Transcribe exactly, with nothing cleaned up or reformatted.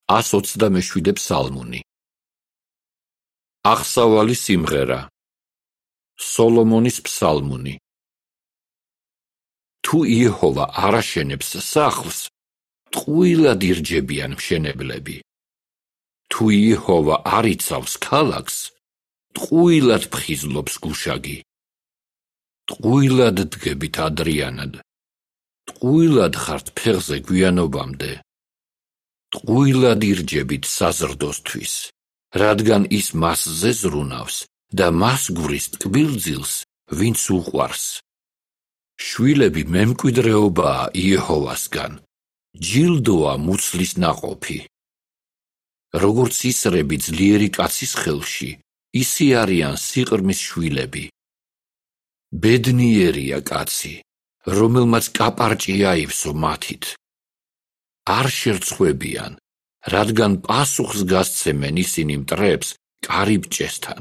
ას ოცდამეშვიდე ფსალმუნი. აღსავალი სიმღერა. სოლომონის ფსალმუნი. თუ იეჰოვა არ აშენებს სახლს, ტყუილად ირჯებიან მშენებლები. თუ იეჰოვა არ იცავს ქალაქს, ტყუილად ფხიზლობს გუშაგი. ტყუილად დგებით ადრიანად. ტყუილად ხართ ფეხზე გვიანობამდე. ტყუილად ირჯებით საზრდოსთვის, რადგან ის მასზე ზრუნავს და მას გვრის ტკბილძილს, ვინც უყვარს. შვილები მემკვიდრეობაა იეჰოვასგან, ჯილდოა მუცლის ნაყოფი. როგორც ისრები ძლიერი კაცის ხელში, ისე არიან სიყრმის შვილები. ბედნიერია კაცი, რომელმაც კაპარჭი აივსო მათით. არ შერცხვებიან, რადგან პასუხს გასცემენ ისინი მტრებს კარიბჭესთან.